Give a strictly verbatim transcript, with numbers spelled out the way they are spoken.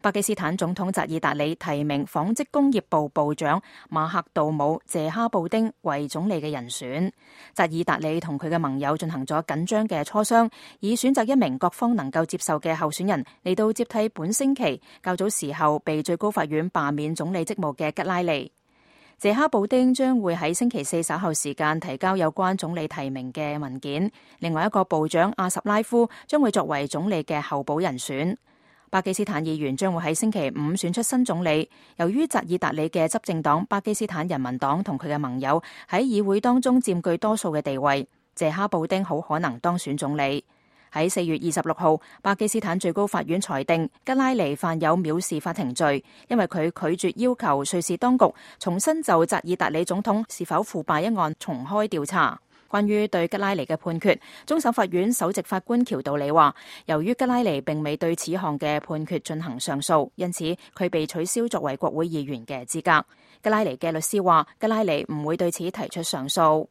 巴基斯坦總統扎爾達里提名紡織工業部部長馬克杜姆謝哈布丁為總理嘅人選。扎爾達里同佢嘅盟友進行咗緊張嘅磋商，以選擇一名各方能夠接受嘅候選人嚟到接替本星期較早時候被最高法院罷免總理職務嘅吉拉利。謝哈布丁將會喺星期四稍後時間提交有關總理提名嘅文件。另外一個部長阿什拉夫將會作為總理嘅候補人選。巴基斯坦議員將會喺星期五選出新總理。由於扎爾達里嘅執政黨巴基斯坦人民黨同佢嘅盟友喺議會當中佔據多數嘅地位，謝哈布丁好可能當選總理。喺四月二十六號，巴基斯坦最高法院裁定吉拉尼犯有藐視法庭罪，因為佢拒絕要求瑞士當局重新就扎爾達里總統是否腐敗一案重開調查。關於對吉拉尼嘅判決，終審法院首席法官喬道理話，由於吉拉尼並未對此項嘅判決進行上訴，因此佢被取消作為國會議員嘅資格。吉拉尼嘅律師話，吉拉尼唔會對此提出上訴。